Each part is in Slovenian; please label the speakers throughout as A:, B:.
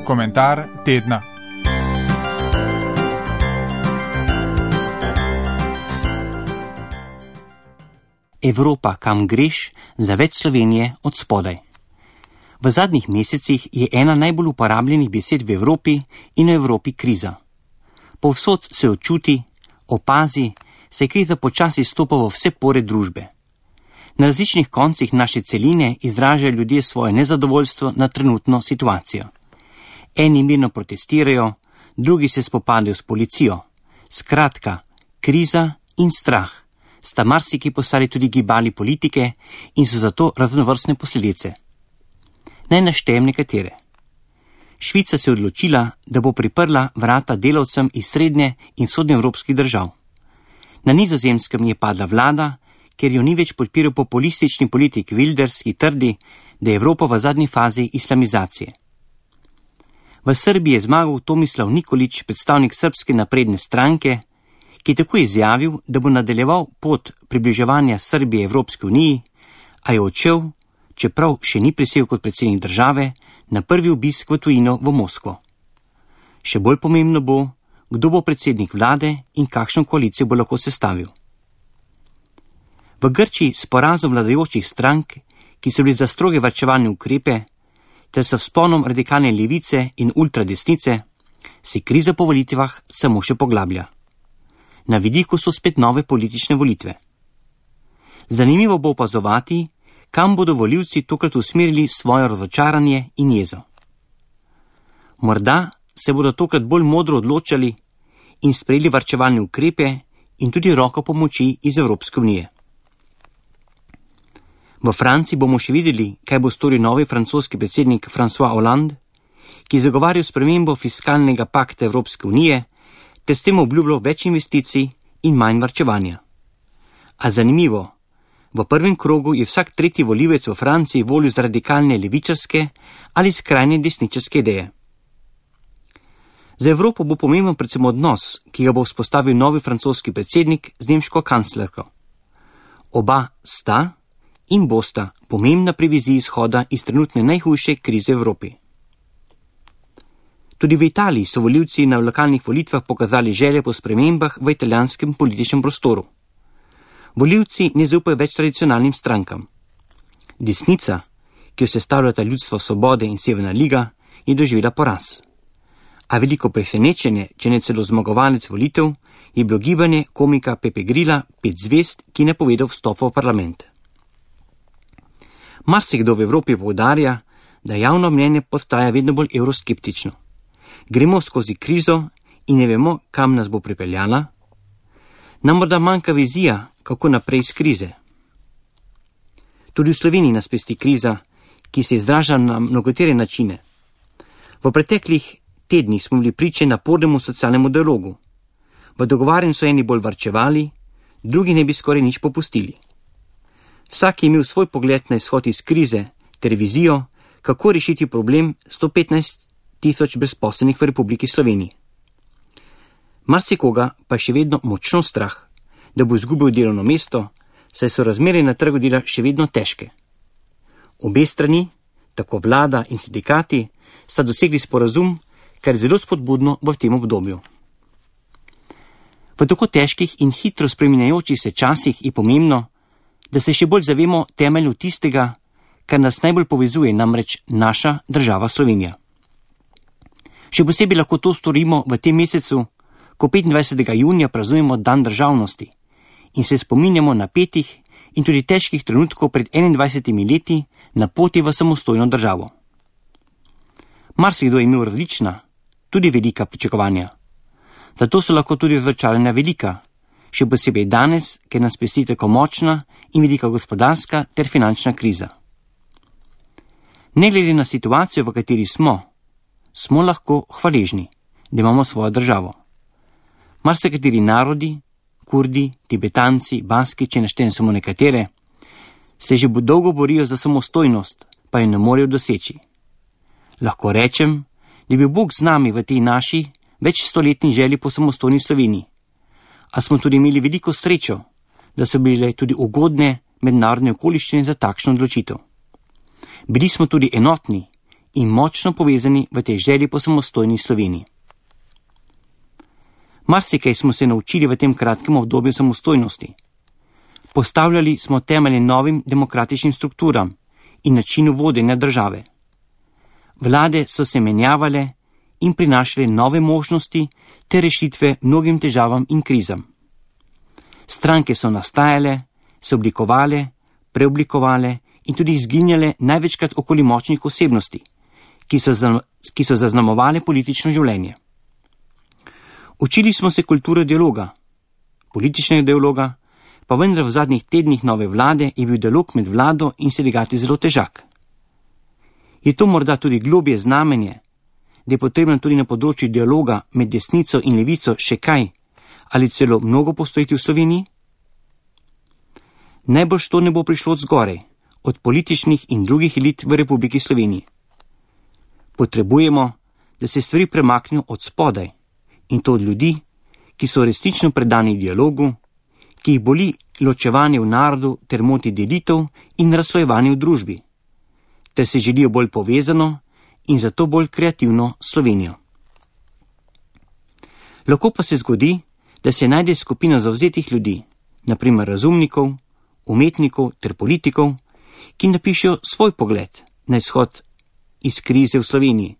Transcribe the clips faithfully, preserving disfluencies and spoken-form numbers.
A: Komentar tedna.
B: Evropa, kam greš, za več Slovenije od spodaj. V zadnjih mesecih je ena najbolj uporabljenih besed v Evropi in v Evropi kriza. Povsod se očuti, opazi, se je kriza počasi stopa v vse pore družbe. Na različnih koncih naše celine izražajo ljudje svoje nezadovoljstvo na trenutno situacijo. Eni mirno protestirajo, drugi se spopadajo s policijo. Skratka, kriza in strah sta marsiki postali tudi gibali politike in so zato raznovrstne posledice. Naj naštejem nekatere. Švica se je odločila, da bo priprla vrata delavcem iz srednje in vzhodnoevropskih držav. Na Nizozemskem je padla vlada, ker jo ni več podpiral populistični politik Wilders, ki trdi, da je Evropa v zadnji fazi islamizacije. V Srbiji je zmagal Tomislav Nikolić, predstavnik Srbske napredne stranke, ki je tako izjavil, da bo nadaljeval pot približevanja Srbije Evropski uniji, a je odšel, čeprav še ni prisegel kot predsednik države, na prvi obisk v tujino v Moskvo. Še bolj pomembno bo, kdo bo predsednik vlade in kakšno koalicijo bo lahko sestavil. V Grčiji s porazom vladajočih strank, ki so bili za stroge varčevalne ukrepe, ter s vzponom radikalne levice in ultradesnice, se kriza po volitvah samo še poglablja. Na vidiku so spet nove politične volitve. Zanimivo bo opazovati, kam bodo volivci tokrat usmerili svoje razočaranje in jezo. Morda se bodo tokrat bolj modro odločali in sprejeli varčevalne ukrepe in tudi roko pomoči iz Evropske unije. V Franciji bomo še videli, kaj bo storil novi francoski predsednik François Hollande, ki je zagovarjal spremembo fiskalnega pakta Evropske unije ter s tem obljubljal več investicij in manj varčevanja. A zanimivo, v prvem krogu je vsak tretji volivec v Franciji volil za radikalne levičarske ali skrajne desničarske ideje. Za Evropo bo pomemben predvsem odnos, ki ga bo vzpostavil novi francoski predsednik z nemško kanclerko. Oba sta in bosta pomembna pri viziji izhoda iz trenutne najhujše krize v Evropi. Tudi v Italiji so volivci na lokalnih volitvah pokazali želje po spremembah v italijanskem političnem prostoru. Volivci ne zaupajo več tradicionalnim strankam. Desnica, ki jo sestavljata Ljudstvo svobode in Severna liga, je doživela poraz. A veliko presenečenje, če ne celo zmagovalec volitev, je bilo gibanje komika Pepe Grilla Pet zvezd, ki je napovedal vstop v parlament. Marsikdo v Evropi poudarja, da javno mnenje postaja vedno bolj evroskeptično. Gremo skozi krizo in ne vemo, kam nas bo pripeljala. Nam morda manjka vizija, kako naprej iz krize. Tudi v Sloveniji nas pesti kriza, ki se izraža na mnogotere načine. V preteklih tednih smo bili priče napornemu socialnemu dialogu. V dogovarjanju so eni bolj varčevali, drugi ne bi skoraj nič popustili. Vsak je imel svoj pogled na izhod iz krize ter vizijo, kako rešiti problem sto petnajst tisoč brezposelnih v Republiki Sloveniji. Marsikoga pa je še vedno močno strah, da bo izgubil delovno mesto, saj so razmere na trgu dela še vedno težke. Obe strani, tako vlada in sindikati, sta dosegli sporazum, kar je zelo spodbudno v tem obdobju. V tako težkih in hitro spreminjajočih se časih je pomembno, da se še bolj zavemo temelju tistega, kar nas najbolj povezuje, namreč naša država Slovenija. Še posebej lahko to storimo v tem mesecu, ko petindvajsetega junija praznujemo dan državnosti in se spominjamo napetih in tudi težkih trenutkov pred enaindvajsetimi leti na poti v samostojno državo. Marsikdo je imel različna, tudi velika pričakovanja. Zato so lahko tudi razočaranja velika, še posebej danes, ker nas pesti tako močna in velika gospodarska ter finančna kriza. Ne glede na situacijo, v kateri smo, smo lahko hvaležni, da imamo svojo državo. Marsikateri narodi, Kurdi, Tibetanci, Baski, če naštejem samo nekatere, se že dolgo borijo za samostojnost, pa jo ne morejo doseči. Lahko rečem, da je bil Bog z nami v tej naši več stoletni želji po samostojni Sloveniji, a smo tudi imeli veliko srečo, da so bile tudi ugodne mednarodne okoliščine za takšno odločitev. Bili smo tudi enotni in močno povezani v tej želji po samostojni Sloveniji. Marsikaj smo se naučili v tem kratkem obdobju samostojnosti. Postavljali smo temelje novim demokratičnim strukturam in načinu vodenja države. Vlade so se menjavale in prinašale nove možnosti ter rešitve mnogim težavam in krizam. Stranke so nastajale, se oblikovale, preoblikovale in tudi izginjale največkrat okoli močnih osebnosti, ki so, za, ki so zaznamovale politično življenje. Učili smo se kulturo dialoga, političnega dialoga, pa vendar v zadnjih tednih nove vlade je bil dialog med vlado in sindikati zelo težak. Je to morda tudi globje znamenje, da je potrebno tudi na področju dialoga med desnico in levico še kaj ali celo mnogo postoriti v Sloveniji? Najbrž to ne bo prišlo od zgoraj, od političnih in drugih elit v Republiki Sloveniji. Potrebujemo, da se stvari premaknejo od spodaj, in to od ljudi, ki so resnično predani dialogu, ki jih boli ločevanje v narodu ter moti delitev in razslojevanje v družbi, ter se želijo bolj povezano in zato bolj kreativno Slovenijo. Lahko pa se zgodi, da se najde skupina zavzetih ljudi, naprimer razumnikov, umetnikov ter politikov, ki napišejo svoj pogled na izhod iz krize v Sloveniji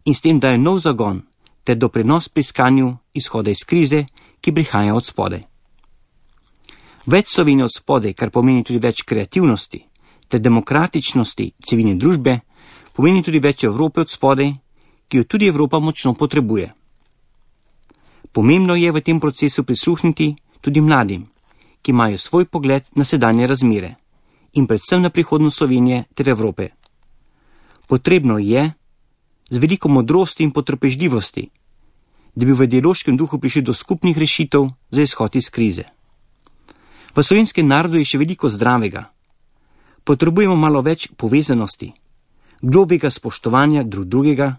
B: in s tem dajo nov zagon ter doprinos pri iskanju izhoda iz krize, ki prihaja od spodaj. Več Slovenije od spodaj, kar pomeni tudi več kreativnosti ter demokratičnosti civilne družbe, pomeni tudi več Evrope od spodaj, ki jo tudi Evropa močno potrebuje. Pomembno je v tem procesu prisluhniti tudi mladim, ki imajo svoj pogled na sedanje razmere in predvsem na prihodnost Slovenije ter Evrope. Potrebno je, z veliko modrosti in potrpežljivosti, da bi v dialoškem duhu prišli do skupnih rešitev za izhod iz krize. V slovenskem narodu je še veliko zdravega. Potrebujemo malo več povezanosti, globjega spoštovanja drug drugega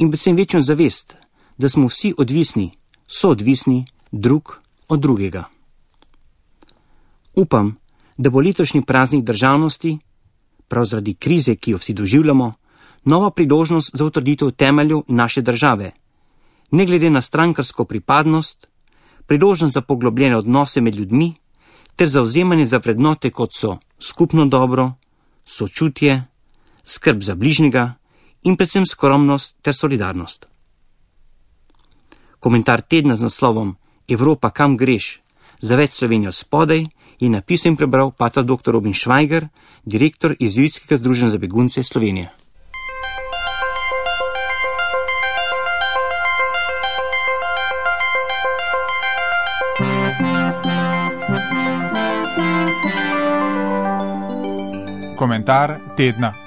B: in predvsem večjo zavest, da smo vsi odvisni, soodvisni drug od drugega. Upam, da bo letošnji praznik državnosti, prav zaradi krize, ki jo vsi doživljamo, nova priložnost za utrditev temeljev naše države, ne glede na strankarsko pripadnost, priložnost za poglobljene odnose med ljudmi ter zavzemanje za vrednote, kot so skupno dobro, sočutje, skrb za bližnjega in predvsem skromnost ter solidarnost. Komentar tedna z naslovom Evropa, kam greš? Za več Slovenijo spodaj je napisal in prebral pater doktor Robin Švajger, direktor Jezuitskega združenja za begunce Slovenije.
A: Komentar tedna.